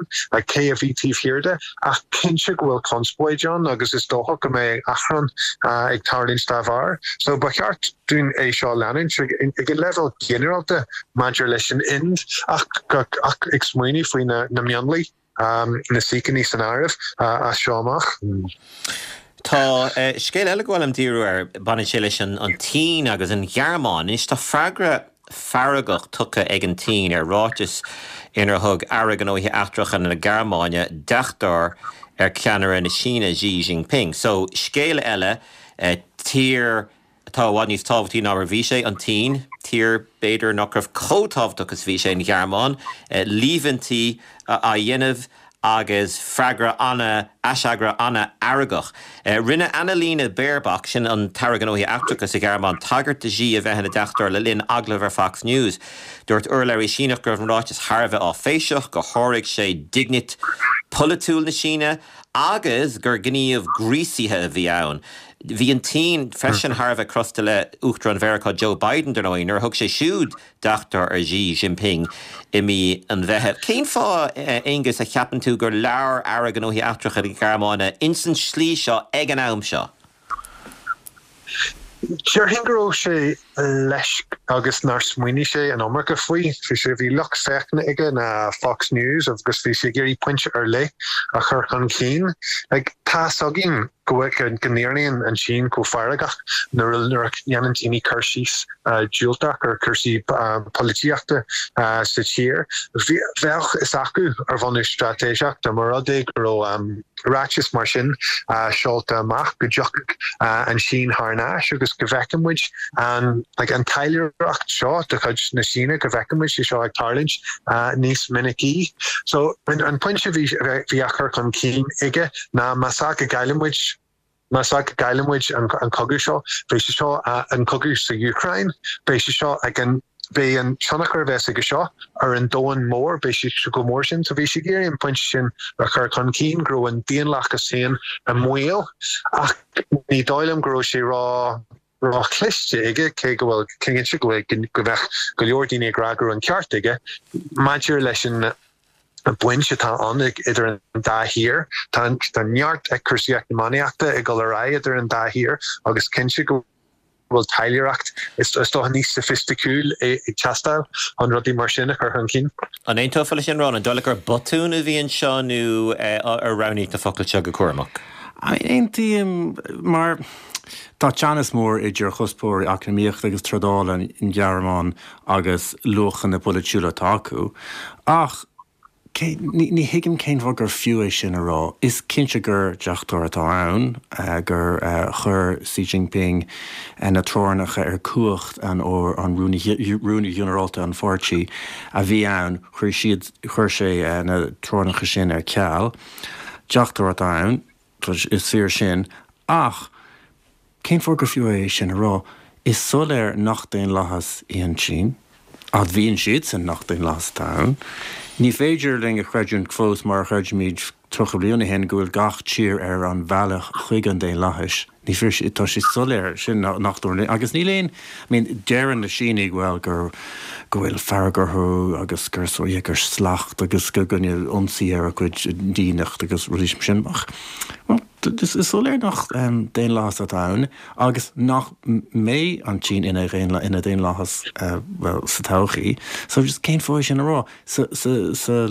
cé a bhí taobh thiar de ach cinnte go bhfuil conspóid ann agus is dócha go mbeidh achrann ag tarlúint dá bharr. So ba cheart dúinn é seo leanúint ag an leibhéal ginearálta maidir leis an Ind ach ach ag smaoineamh faoi na na mionlaigh um, na Sikhanna san áireamh uh, as seo amach. Tá scéal eile go bhfuil am díriú ar baineann sé leis an an tSín agus an Ghearmáin. Anois tá freagra feargach tugtha ag an tSín ar ráiteas inar thug Aire Gnóthaí Eachtracha na Gearmáine deachtóir ar cheannaire na Síne Xi Jinping. So scéal eile eh, tír atá i bhfad níos tábhachtaí ná mar bhí sé an tSín, tír b'fhéidir nach raibh chomh tábhachtach is bhí sé an Ghearmáin, eh, líomhaintí á dhéanamh agus freagra ana aisfhreagra an-fheargach. Eh, rinne Annalena Baerbock sin an tAire Gnóthaí Eachtracha sa Ghearmáin tagairt do Xi a bheith ina deachtóir le linn agallamh ar Fox News. Dúirt urlabhraí Síneach go raibh an ráiteas thar a bheith áiféiseach gur sháraigh sé dínit pholaitiúil na Síne agus gur gníomh gríosaithe a bhí ann. Bhí an tSín freisin thar a bheith crosta le Uachtarán Mheiriceá Joe Biden dar ndóigh nuair a thug sé siúd deachtóir ar Xi Jinping i mí an Mheithimh. Cén fáth Aengus a cheapann tú gur labhair Aire Gnóthaí Eachtracha na Gearmáine ins an slí seo ag an am seo? Déarfainn go raibh sé leisc agus nár smaoinigh sé an iomarca faoi. Bhí sé, bhí lucht féachana aige ná Fox News agus bhí sé ag iarraidh pointe ar leith a chur chun cinn. Like, tá's againn go bhfuil, go n-éiríonn an tSín chomh feargach nuair a, nuair a dhéanann daoine cur síos diúltach ar chúrsaí polaitíochta sa tír. Bhí, bheadh fhios acu ar bhunús straitéiseach dá mba rud é go raibh ráiteas mar sin seolta amach go dtiocfadh an tSín thar n-ais agus go bhfeicfidh muid an like an taidhleoireacht seo de chuid na Síne, go bhfeicfidh muid sé seo ag tarlúint níos minicí. So an pointe a bhí bhí á chur chun cinn aige ná más ea go gcailleann muid más ea go gcailleann muid an an cogadh seo, beidh sé seo an cogadh sa Úcráin, beidh sé seo ag an beidh an tionchar a bheas aige seo ar an domhan mór, beidh sé chomh mór sin. So bhí sé ag iarraidh an pointe sin a chur chun cinn, go raibh an daonlathas féin i mbaol, ach ní dóigh liom go raibh sé ró ró-chliste aige, cé go bhfuil cinnte go bhfuil go mbeadh go leor daoine ag rá go raibh an ceart aige maidir leis an baint atá ann idir an dá thír. Tá tá neart cúrsaí eacnamaíochta ag dul ar aghaidh idir an dá thír agus cinnte go bhfuil taidhleoireacht is dócha níos soifisticiúil ag teastáil chun rudaí mar sin a chur chun cinn. An aontófá leis sin, Ron? An dóigh leat gur botún a bhí anseo nó ar roghnaíodh na focail seo go cúramach? Aontaím, mar tá teannas mór idir chuspóirí eacnamaíochta agus trádála an Ghearmáin agus luachanna polaitiúla atá acu, ach Cé, ní, ní thuigim cén fáth gur fiú é sin a rá. Is cinnte gur deachtóir atá ann, gur chuir Xi Jinping na teorainneacha ar cumhacht an an Rúnaí Ginearálta an pháirtí a bhí ann, chuir siad, chuir sé na teorainneacha sin ar ceal. Deachtóir atá ann, is fíor sin, ach cén fáth gur fiú é sin a rá? Is soiléir nach daonlathas í an tSín. Admhaíonn siadsan nach daonlathas atá ann. Ní féidir linn a chreidiúint fós, mar a chreidimid tríocha bliain ó shin, go bhfuil gach tír ar an bhealach chuig an daonlathas. Ní féidir, tá sé soiléir sin nach dtarlaíonn. Agus níl aon, I mean, deireann na Sínigh, bhuel, gur, go bhfuil fearg orthu agus gur, yeah, gur slacht agus go rinneadh ionsaí ar a gcuid daonnacht agus rudaí mar sin. Ach, well, Is soiléir nach daonlathas atá ann agus nach mbeidh an tSín ina ina daonlathas bhuel sa todhchaí. So just cén fáth é sin a rá? Sa sa sa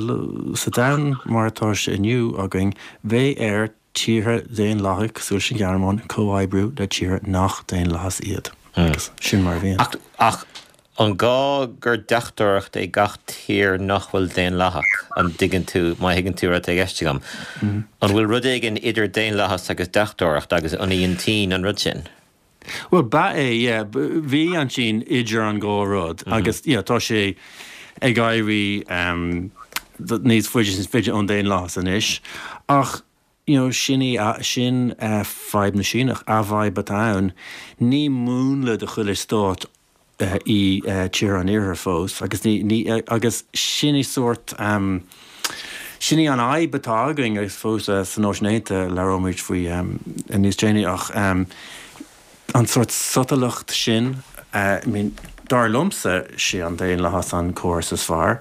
sa domhan mar atá sé inniu againn bheadh ar tíortha daonlathacha cosúil leis an Ghearmáin comhoibriú le tíortha nach daonlathas iad. Agus sin mar a bhíonn. Ach ach An gá gur deachtóireacht é gach tír nach bhfuil daonlathach? An dtuigeann tú, má thuigeann tú rud atá i gceist agam? An bhfuil rud éigin idir daonlathas agus deachtóireacht agus an í an tSín an rud sin? Bhuel, ba é, yeah. Bhí an tSín idir an dhá rud agus, yeah, tá sé ag éirí níos faide is faide ón daonlathas anois. Ach, you know, sin í, sin fadhb na Síneach, a bhfadhb atá ann. Ní múnla do chuile stát í tír an Iarthair fós agus ní, ní, agus sin í sórt, sin í an fhadhb atá againn agus fós sa Náisiún Aontaithe, labhróimid faoi níos déanaí ach an sórt sotalacht sin, I mean, dar liomsa, sé an daonlathas an córas is fearr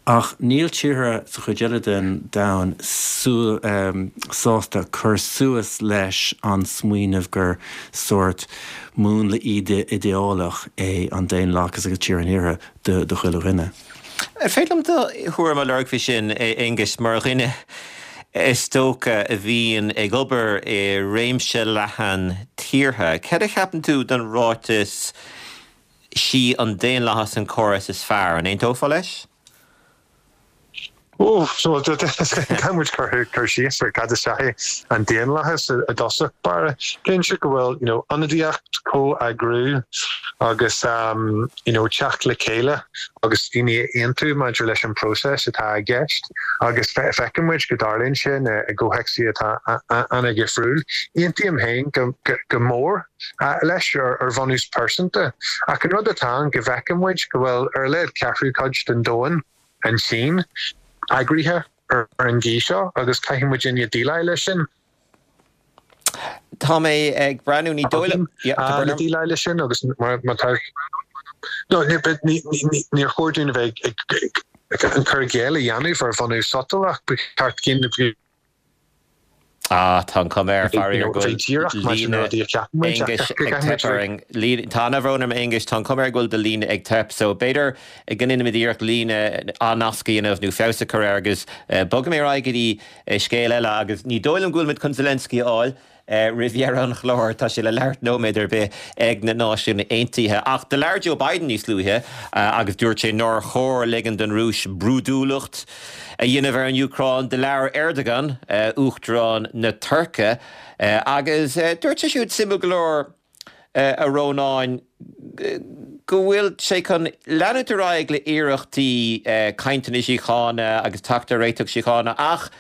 ach níl tíortha sa chuid eile den domhan sásta cur suas leis an smaoineamh gur sórt múnla idéalach é an daonlathas agus tír an Iarthair do chuile dhuine. An féidir liom do thuairim a lorg faoi sin, a Aonghuis, mar dhuine is dócha a bhíonn ag obair i réimse leathan tíortha. Cad a cheapann tú den ráiteas 'sí an daonlathas an córas is fearr'? An aontófá leis? Ó, so caithfidh muid cur cur síos ar cad is ea é an daonlathas i dtosach báire. Cinnte go bhfuil you know ionadaíocht, comheagrú agus um you know teacht le chéile agus daoine a aontú maidir leis an próiseas atá i gceist agus feiceann muid go dtarlaíonn sin i gcomhthéacsaí atá an-dhifriúil. Aontaím féin go go mór leis ar ar bhunús pearsanta ach an rud atá ann go bhfeiceann muid go bhfuil ar a laghad ceathrú cuid den domhan an tSín eagraithe ar an gcaoi seo agus caithfidh muidinne déileáil leis sin. Tá mé ag breathnú, ní dóigh liom, le déileáil leis sin agus má tá, no, níor chóir dúinn a bheith ag an cur i gcéill a dhéanamh ar bhunús sotalach, ba cheart dúinn Ah tá an chuma air faraor go bhí díreach mar sin líne rudaí a cheapann muid ach Aonghus go ag gcaithfimid teip orainn. Líne- Tá an-bhrón orm Aonghus, tá an chuma air go bhfuil do líne ag teip, so b'fhéidir go ndéanfaimid iarracht líne ath-nasc a dhéanamh nó feabhas a chur air agus bogfaidh mé ar aghaidh go dtí scéal eile agus ní dóigh liom go bhfuil muid chun Zelensky a fháil roimh dheireadh an chláir, tá sé le labhairt nóiméad ar bith ag na Náisiúin Aontaithe. Ach do labhair Joe Biden níos luaithe agus dúirt sé nár chóir ligean don Rúis brúidiúlacht a dhéanamh ar an Úcráin. Do labhair Erdogan, Uachtarán na Tuirce, agus dúirt sé siúd suimiúil go leor a Rónáin, go bhfuil sé chun leanúint ar aghaidh le iarrachtaí cainteanna síochána agus teacht ar réiteach síochána ach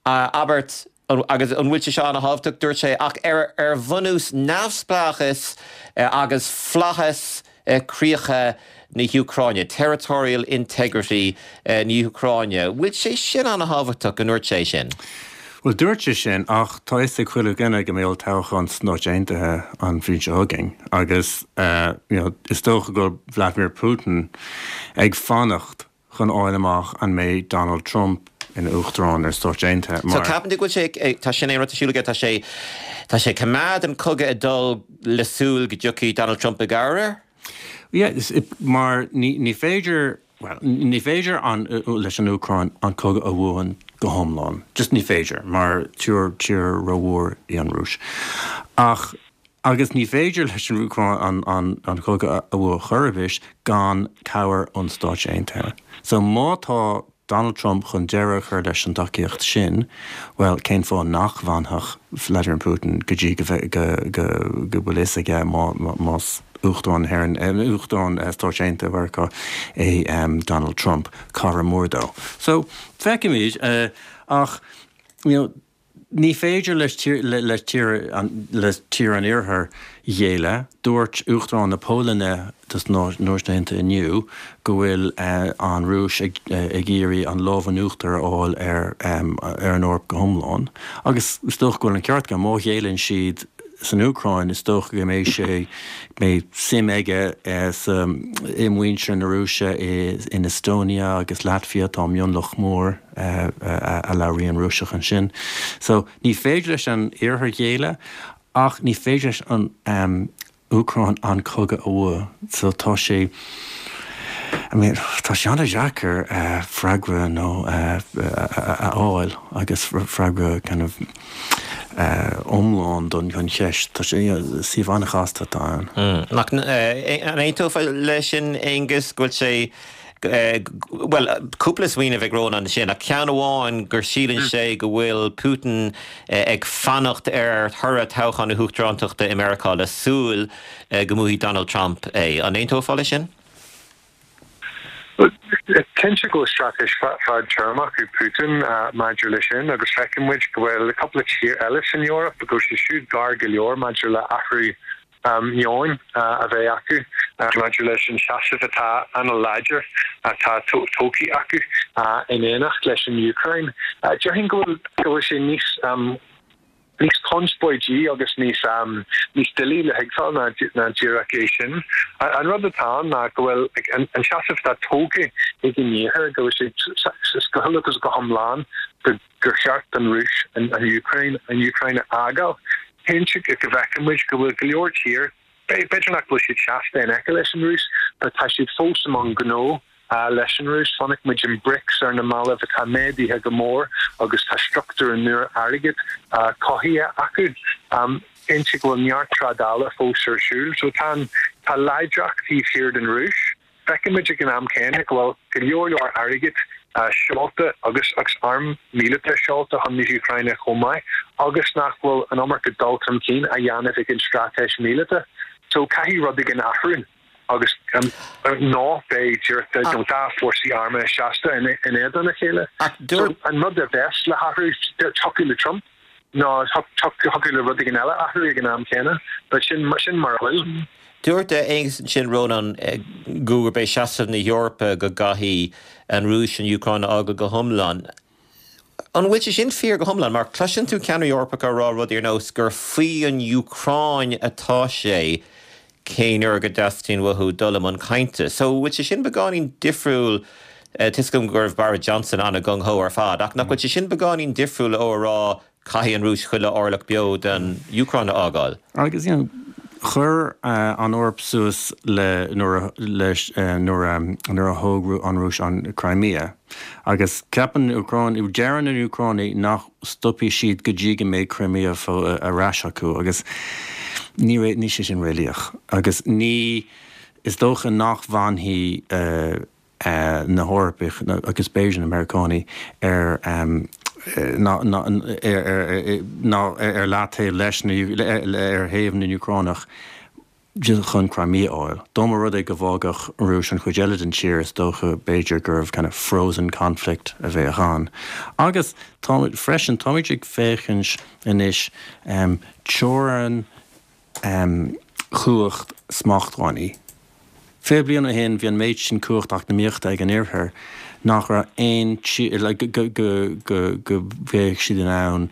abairt agus an bhfuil sé seo an-thábhachtach, dúirt sé, ach ar ar bhunús neamhspleáchas agus flaitheas críocha na hÚcráine, territorial integrity na hÚcráine. Bhfuil sé sin an-thábhachtach go ndúirt sé sin? Bhuel, dúirt sé sin, ach tá fhios ag chuile dhuine go mbeidh olltoghchán sna Stáit Aontaithe an bhliain seo chugainn agus you know, is dócha go bhfuil Vladimir Putin ag fanacht chun fháil amach an mbeidh Donald Trump ina uachtarán ar Stáit Aontaithe So mar. ceapann tú go bhfuil sé, tá sin é rud ar siúl aige, tá sé, tá sé ag coimeád an cogadh ag dul le súil go dtiocfaidh Donald Trump i gcabhair air? Yeah, is, mar ní, ní féidir, well, ní féidir an, leis an Úcráin an cogadh a bhuachan go hiomlán. Just ní féidir, mar tír, tír rómhór í an Rúis. Ach, agus ní féidir leis an Úcráin an, an, an cogadh a bhuachan chor ar bith gan cabhair ón Stáit Aontaithe. So má tá Donald Trump chun deireadh a chur leis an tacaíocht sin, well, cén fáth nach bhfanfadh Vladimir Putin go dtí go bhfe- go, go, go bhfuil fhios aige má, má, más Uachtarán na hÉireann, eh, Uachtarán eh, Stáit Aontaithe Mheiriceá é um, Donald Trump, cara mór dó. So, feicfimid, uh, ach, you know, ní féidir leis tír, le, le tír an, le tír an iarthair géilleadh, dúirt Uachtarán na Polainne dos na Náisiúin Aontaithe inniu go bhfuil uh, an Rúis ag, uh, ag iarraidh an lámh in uachtar a fháil ar, um, ar an Eoraip go hiomlán. Agus is dócha go bhfuil an ceart aige má ghéilleann siad san Úcráin is dócha go mbeidh sé mbeidh suim aige eh, sa i muintir na Rúise i, in Estonia agus Latvia tá mionlach mór eh, a, a labhraíonn Rúisis ansin. So ní féidir leis an iarthar géilleadh ach ní féidir leis an um, Úcráin an cogadh a bhuachan. So tá sé I mean, tá sé an-deacair uh, freagra nó uh, a fháil agus freagra kind of uh, iomlán don chun cheist Tá sé suíomh an-chasta atá ann. Mm. Nach an aontófá leis sin Aonghus go bhfuil sé well cúpla smaoineamh ag Rónán sin a ceann amháin gur síleann sé go bhfuil Putin ag fanacht ar thoradh toghchán na huachtarántachta i Meiriceá le súil go mbuafaidh Donald Trump é. An aontófá leis sin? Cinnte go straitéis fadtéarmach ag Putin uh, maidir leis sin agus feiceann muid go bhfuil cúpla tír eile san Eoraip go sé siúd gar go leor maidir le athrú um, meoin uh, a bheith acu uh, maidir leis an seasamh atá an-láidir atá tógtha acu uh, in éineacht leis an Ukraine. Uh, Déarfainn go bhfuil sé níos um, níos conspóidí agus níos um, níos doiligh le thuigbheáil ná ná díreach é sin. An rud atá ná go bhfuil an, an seasamh atá tógtha ag an iarthar go bhfuil sé go agus go hiomlán go gur cheart an Rúis an, an Ukraine an Ukraine a fhágáil. Cinnte go bhfeiceann muid go bhfuil go leor tír b'fhéidir nach bhfuil siad seasta in aice leis an Rúis, but tá siad fós among gnó uh, leis an Rúis chonaic muid in BRICS ar na mallaibh atá méadaithe go mór agus tá struchtúr an nua airgid uh, cothaithe acu. Um, Cinnte go bhfuil neart trádála fós ar siúl, so tá tá láidreacht taobh thiar den Rúis. Feicimid ag an am céanna go bhfuil go leor leor airgid uh, seolta agus agus arm míleata seolta chun na hÚcráine chomh maith, agus nach bhfuil an iomarca dul chun cinn á dhéanamh ag an straitéis míleata. So caithfidh rud éigin athrú agus um, ná beidh nó dá fórsaí armtha seasta in in éadan a chéile. So, an rud a bheas le hathrú thiocfadh le Trump ná thiocfadh le rud éigin eile athrú ag an am céanna, but sin sin mar a bhfuil. Dúirt Aonghus sin Rónán gurb é seasamh na hEorpa go gcaithfidh an Rúis an Úcráin a fhágáil go hiomlán. An bhfuil sé sin fíor go hiomlán, mar cloiseann tú ceannairí Eorpacha ag rá rudaí ar nós gur faoi an Úcráin atá sé cén uair go dteastaíonn uathu dul i mbun cainte. So bhfuil sé sin beagáinín difriúil tuigim go raibh Boris Johnson an-gung-ho ar fad, ach nach bhfuil sé sin beagáinín difriúil ó rá caithfidh an Rúis chuile orlach beo den Úcráin a fhágáil. Agus you know, chuir an Eoraip suas le nuair nuair a thóg an Rúis an Crimea. Agus ceapann Úcráin, deireann na Úcránaigh nach stopfaidh siad go dtí go mbeidh Crimea ar ais acu agus ní ní sé sin réalaíoch. Agus ní is dócha nach bhfanfaidh na hEorpaigh agus b'fhéidir na Meiriceánaigh ar ná ar leataobh leis ar thaobh na nÚcránach chun Crimea a fháil. Dá mba rud é go bhfágfadh an Rúis an chuid eile den tír is dócha b'fhéidir gurbh kind of frozen conflict a bheadh ann. Agus táimid freisin táimid ag féachaint anois teorainn chumhacht smachtbhannaí. Fiche bliain ó shin bhí an méid sin cumhacht eacnamaíochta ag an Iarthar nach raibh aon go go bheadh siad in ann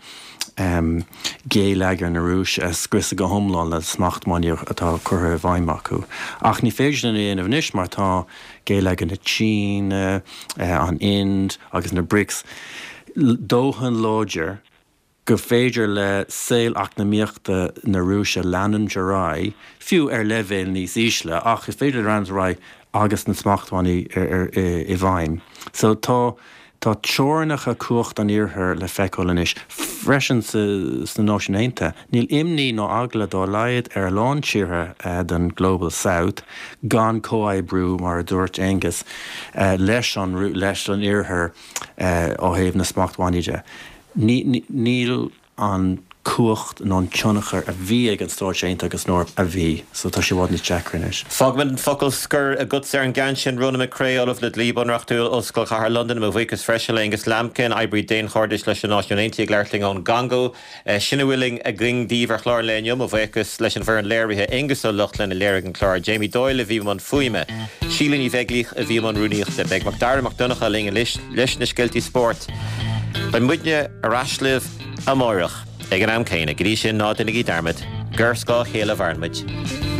géilleagar na Rúise a scriosadh go hiomlán le smachtbhannaí atá curtha i bhfeidhm acu. Ach ní féidir sin a dhéanamh anois mar tá géilleagar na Síne, an Ind agus na BRICS dóthain láidir gur féidir le saol eacnamaíochta na Rúise leanúint ar aghaidh, fiú ar leibhéal níos ísle, ach is féidir leanúint ar aghaidh agus na smachtbhannaí i bhfeidhm. So tá tá teorainneacha cumhacht an Iarthair le feiceáil anois freisin sna Náisiúin Aontaithe. Níl imní ná eagla dá laghad ar a lán tíortha den Global South gan comhoibriú mar a dúirt Aengus leis an leis an Iarthar ó thaobh na smachtbhannaí de. Níl an cumhacht nó an tionchar a bhí ag an Stáit Aontaithe agus an Eoraip a bhí, so tá sé i bhfad níos deacra anois. Fágfaimid an focal scoir agatsa ar an gceann sin, Ronan McCrea, Ollamh le Dlí Bunreachtúil, Ollscoil Chathair Londain, mo bhuíochas freisin le Aengus Lambkin, oibrí daonchairdis leis na Náisiúin Aontaithe ag labhairt linn ón gCongó. Sin a bhfuil againn daoibh ar chlár an lae inniu. Mo bhuíochas leis an bhfoireann léirithe, Aengus Ó Lochlainn a léirigh an clár, Jamie Doyle a bhí i mbun fuaime, Síle Ní Bheaglaoich a bhí i mbun rúnaíochta. Beidh Macdara Mac Donncha linn anois leis na scéaltaí spóirt. Beidh muidne ar ais libh amárach ag an am céanna. Go dtí sin, ná déanaigí dearmad gur ar scáth a chéile a mhaireann muid.